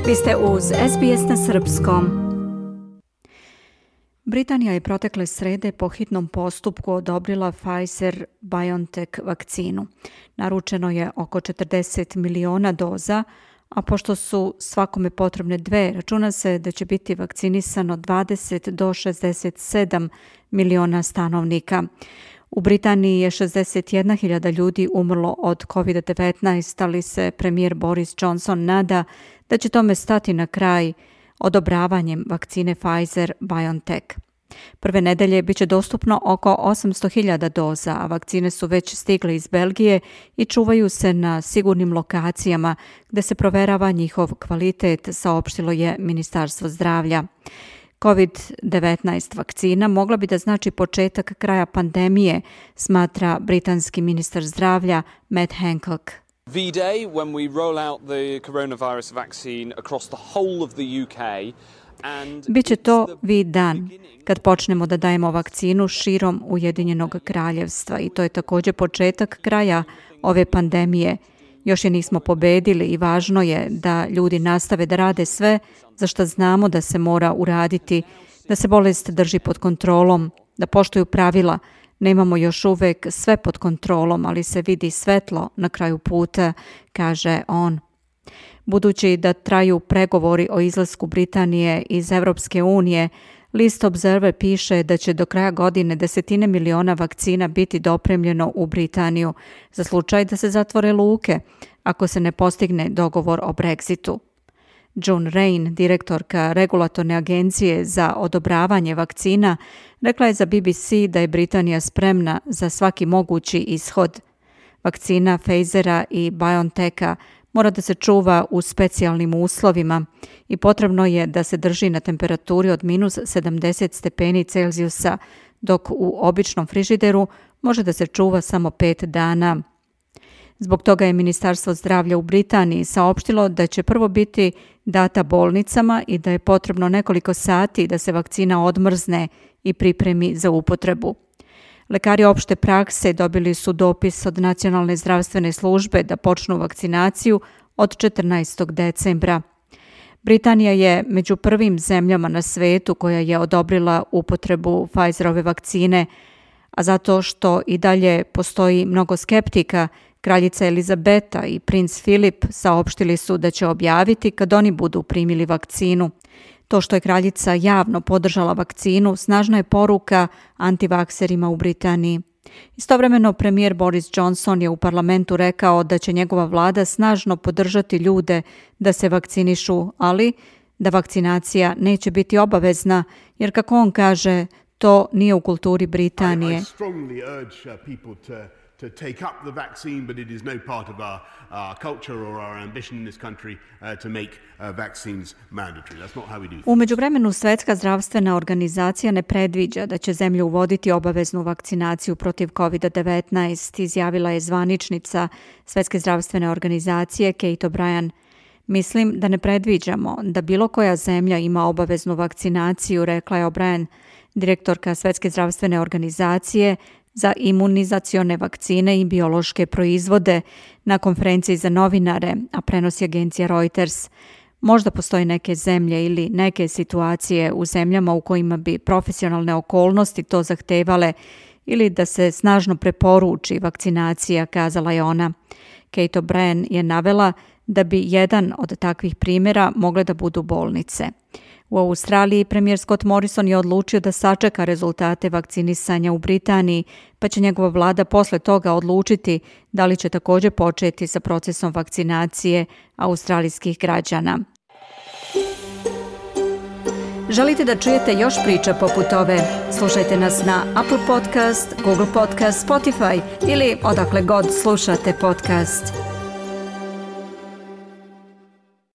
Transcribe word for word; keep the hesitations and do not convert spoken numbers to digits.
Vi ste uz S B S na srpskom. Britanija je protekle srede po hitnom postupku odobrila Pfizer-BioNTech vakcinu. Naručeno je oko četrdeset miliona doza, a pošto su svakome potrebne dve, računa se da će biti vakcinisano dvadeset do šezdeset sedam miliona stanovnika. U Britaniji je šezdeset jedna hiljada ljudi umrlo od kovid devetnaest, ali se premijer Boris Johnson nada da će tome stati na kraj odobravanjem vakcine Pfizer-BioNTech. Prve nedelje bit će dostupno oko osamsto hiljada doza, a vakcine su već stigle iz Belgije i čuvaju se na sigurnim lokacijama gde se proverava njihov kvalitet, saopštilo je Ministarstvo zdravlja. kovid devetnaest vakcina mogla bi da znači početak kraja pandemije, smatra britanski ministar zdravlja Matt Hancock. V-Day, when we roll out the coronavirus vaccine across the whole of the U K. Biće to V-dan, kad počnemo da dajemo vakcinu širom Ujedinjenog kraljevstva i to je također početak kraja ove pandemije. Još je nismo pobedili i važno je da ljudi nastave da rade sve za što znamo da se mora uraditi, da se bolest drži pod kontrolom, da poštuju pravila. Nemamo još uvek sve pod kontrolom, ali se vidi svetlo na kraju puta, kaže on. Budući da traju pregovori o izlasku Britanije iz Evropske unije, List Observer piše da će do kraja godine desetine miliona vakcina biti dopremljeno u Britaniju za slučaj da se zatvore luke ako se ne postigne dogovor o Brexitu. June Rain, direktorka regulatorne agencije za odobravanje vakcina, rekla je za B B C da je Britanija spremna za svaki mogući ishod. Vakcina Pfizera i BioNTecha mora da se čuva u specijalnim uslovima i potrebno je da se drži na temperaturi od minus sedamdeset stepeni Celzijusa, dok u običnom frižideru može da se čuva samo pet dana. Zbog toga je Ministarstvo zdravlja u Britaniji saopštilo da će prvo biti data bolnicama i da je potrebno nekoliko sati da se vakcina odmrzne i pripremi za upotrebu. Lekari opšte prakse dobili su dopis od Nacionalne zdravstvene službe da počnu vakcinaciju od četrnaestog decembra. Britanija je među prvim zemljama na svetu koja je odobrila upotrebu Pfizerove vakcine, a zato što i dalje postoji mnogo skeptika, kraljica Elizabeta i princ Filip saopštili su da će objaviti kad oni budu primili vakcinu. To što je kraljica javno podržala vakcinu snažna je poruka antivakserima u Britaniji. Istovremeno premijer Boris Johnson je u parlamentu rekao da će njegova vlada snažno podržati ljude da se vakcinišu, ali da vakcinacija neće biti obavezna, jer kako on kaže, to nije u kulturi Britanije. to take up the vaccine, but it is no part of our, our culture or our ambition in this country uh, to make uh, vaccines mandatory. That's not how we do things. U međuvremenu Svetska zdravstvena organizacija ne predviđa da će zemlje uvoditi obaveznu vakcinaciju protiv kovid devetnaest, izjavila je zvaničnica Svetske zdravstvene organizacije Kate O'Brien. Mislim da ne predviđamo da bilo koja zemlja ima obaveznu vakcinaciju, rekla je O'Brien, direktorka Svetske zdravstvene organizacije za imunizacione vakcine i biološke proizvode na konferenciji za novinare, a prenosi agencija Reuters. Možda postoje neke zemlje ili neke situacije u zemljama u kojima bi profesionalne okolnosti to zahtevale ili da se snažno preporuči vakcinacija, kazala je ona. Kate O'Brien je navela da bi jedan od takvih primjera mogle da budu bolnice. U Australiji premijer Scott Morrison je odlučio da sačeka rezultate vakcinisanja u Britaniji, pa će njegova vlada posle toga odlučiti da li će također početi sa procesom vakcinacije australijskih građana. Želite da čujete još priča poput ove? Slušajte nas na Apple Podcast, Google Podcast, Spotify ili odakle god slušate podcast.